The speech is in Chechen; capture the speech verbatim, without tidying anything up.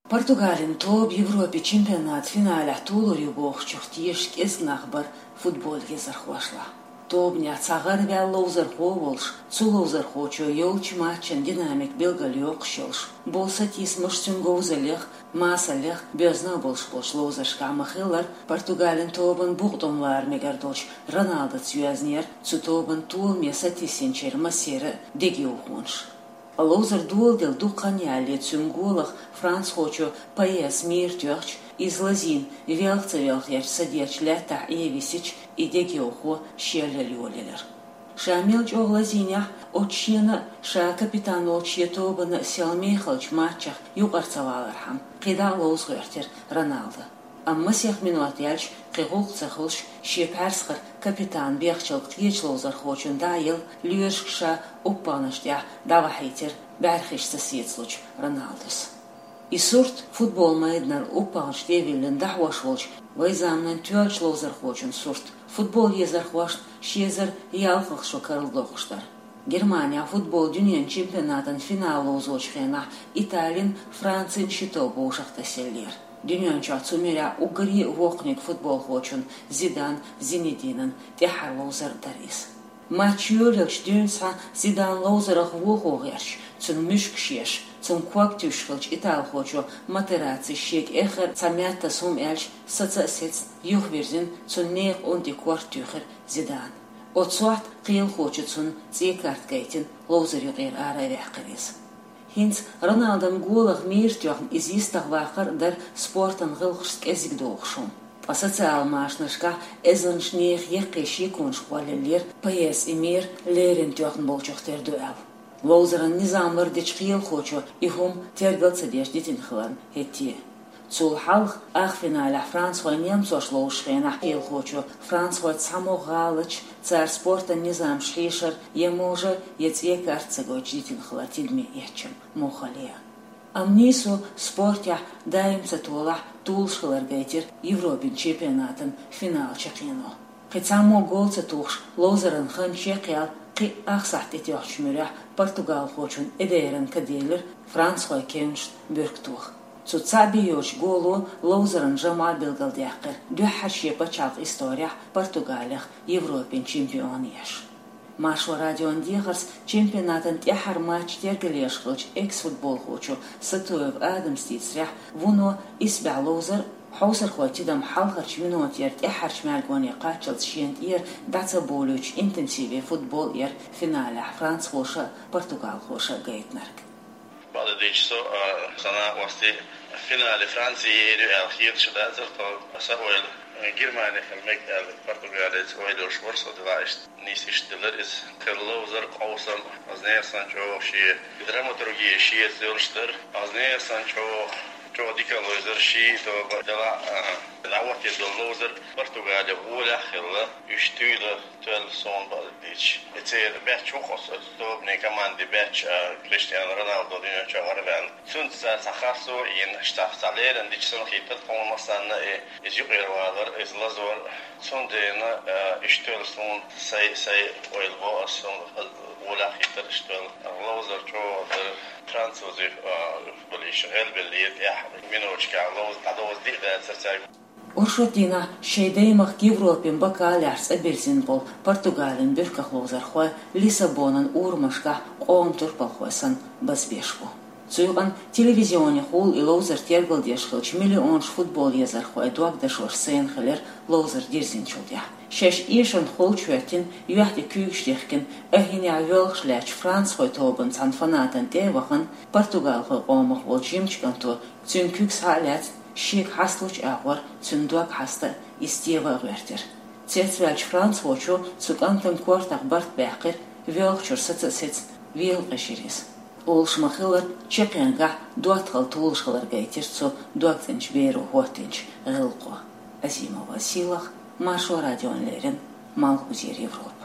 Португалин тоба Европе чемпионат финалехь толур ю бохучух тешаш кӀезиг нах бара футбол езархошлахь. Тобанехь цхьа гӀараваьлла ловзархо а волуш, цу ловзархочо йолчу матчан динамика билгалйоккхуш йолуш, болу сатийсамаш цуьнан говзаллех, масаллех боьзна а болуш болчу ловзаршкахь ма-хиллара, Португалин тобанан букъа тӀом лара мегар долчу Роналдоца йоьзнера цу тобанан толаме сатийсинчеран массеран а дегайовхонаш. Ловзар доладелла дукха хан ялале цуьнан голах францхочо Паэс мийра тоьхча, иза лазийна велха ца велхарчу садечу лаьттахь Ӏен висича, и дегайовхо шел йолаелира. Ша мел чӀогӀа лазийнехь, оцу шена а, ша капитан волчу шен тобанна а сел мехалчу матчех юкъара ца валархьама, кхидӀа а ловза гӀоьртира Роналдо. Амма масех минот яьлча, кхин гӀуллакх ца хуьлуш, шен пхьаьрсхара капитан бехачул кхечу ловзархочунна дӀа а елла, лоьрашка ша уппагӀанаш тӀехь дӀавахьийтира бӀаьрхиш ца сецалучу Роналдос. И сурт, футбол майданара уппагӀанаш тӀе а виллина дӀахьош волчу вайн заманан тоьллачу ловзархочун сурт, футбол езархошна ши эзар ялхалгӀа шо карладоккхуш дара. Германехь футбол дуьненан чемпионатан финал ловзочу хенахь Италин, Францин ши тоба вовшахтасаеллера. Дуьнен чохь цу муьрехь уггаре а воккханиг футболхочун, Зидан Зинединан, тӀаьххьара ловзар дара иза. Матч йолаелчу дуьйна схьа Зидан ловзарах вохо гӀерташ, цуьнан муьшкаш еш, цуьнан ког туьйсуш хиллачу италхочо Матерацци шега эххар цхьа меттас хӀума аьлча, саца а сецна, юхавирзина, цуьнан некъан унти корта туьйхира Зидана. Оцу сохьта кхелахочо цунна цӀе карта гайтина, ловзар юкъера ара а ваьккхира иза. ХӀинца Роналдон голах мийра тоьхна иза йистах ваккхар а дара спортан гӀиллакхашца кӀезиг догӀуш хӀума. Ткъа социал машанашкахь эзарнаш нехан яккхий шеконаш кхоллаеллера, Паэс и мийра леррина тоьхна болчух тера ду аьлла. Ловзаран низам лардечу кхелахочо и хӀума тергал ца деш дитина хиларна хӀетте. Цул хьалха ахфиналехь францхой немцош ловзучу хенахь кхелахочо францхой цхьаммо гӀалаташ, цара спортан низамаш хьешар я можа, я цӀе карта ца гойтуш дитина хилар тидаме эцча муххале. Амма нийсо спортехь даим ца толахь, толуш хилар гайтира Европин чемпионатан финал чекхъено. Кхин цхьаммо гол ца тухуш, ловзаран хан чекхъяьлла, кхин а ах сахьт тӀетоьхначу муьрехь португалхочун Эдейран ка делира францхойн кевнашна буьрк тоха. Цу цхьаъ бен йоцучу голо ловзаран жамӀа билгалдаьккхира, дуьххьара шен пачхьалкхан исторехь Португалех Европин чемпион еш. Маршо радион дехарца чемпионатан тӀаьххьара матч тергалъеш хиллачу экс-футболхочо Сатуев Адамас дийцарехь, вуно исбаьхьа ловзар а, хьовсархойн тидам хьалхарчу минотера тӀаьххьарчу маьргоне кхаччалц шена тӀера дӀа ца болуьйтуш интенсиве футбол яра финалехь францхоша а, португалхоша а гайтинарг. Бакъдерг дийцича, со, а, сан накъостий финале Франци ер ю аьлла хеташ дацара тхо. Сан ойла, э, Германи хила мега аьлла, Португалица ойла йолуш вара со, дела иштта. Нийса иштта делира иза. Кхин ловзар, къовсам, оцу нехан санна чӀогӀа шен драматурги шеца йолуш дара. Оцу нехан санна чӀогӀа, чӀогӀа дика ловзар, ши тоба дела, а, дӀахӀоттийна долу ловзар Португале гӀолехь хилла, уьш туьйла тоьлла суна бакъдерг дийцича. И церан баьчча ву-кх оцу тобанийн командин баьчча, а, Криштиану Роналдо дуьнен чохь гӀараваьлла. Цуьнца цара цхьа харцо а йина, цхьа, цхьа леррина дича санна хетара тхуна массарна а, и, иза юкъера валар, иза лазор. Цундела, а, иштта тоьлла суна сайн, сайн ойла бо ас, суна гӀолехь хетара иштта тоьлла. Ловзар чӀогӀа дара, французий, а, болуш гӀелбеллера тӀехь, миноташкахь ловза дӀадовза диъ дацара цаьрга. Оршот дийнахь шайн даймахка Европин бакаллехь цӀа бирзина болу Португалин буьрках ловзархой Лиссабонан урамашкахь къоман турпалхой санна базбеш бу. Цу юкъана телевизионехула и ловзар тергалдеш хиллачу миллионаш футбол езархойн дог дашош сайна хилира ловзар дирзинчул тӀаьхьа. Шаьш эшарна холчу хӀоьттина, юьхь тӀе куьйгаш дихкина, а хӀинехь воьлхуш лаьттачу францхойн тобанан цхьана фанатана тӀе а вахана, португалхойн къомах волчу жимачу кӀанто цуьнан куьг схьа а лаьцна, шега хьасталучу агӀор цуьнан дог хьаста, иза тева а гӀоьртира. Цецваьллачу францхочо цу кӀантан кортах барт баьккхира, воьлхучуьра саца а сецна, вела къежира иза. Олуш ма-хиллара, чекхъянгахь доттагӀалла толуш хилар гайтира цу догцӀеначу беро хӀоттийначу гӀиллакхо. Азимова Сийлаха, Маршо радиона леррина, Малхбузера Европа.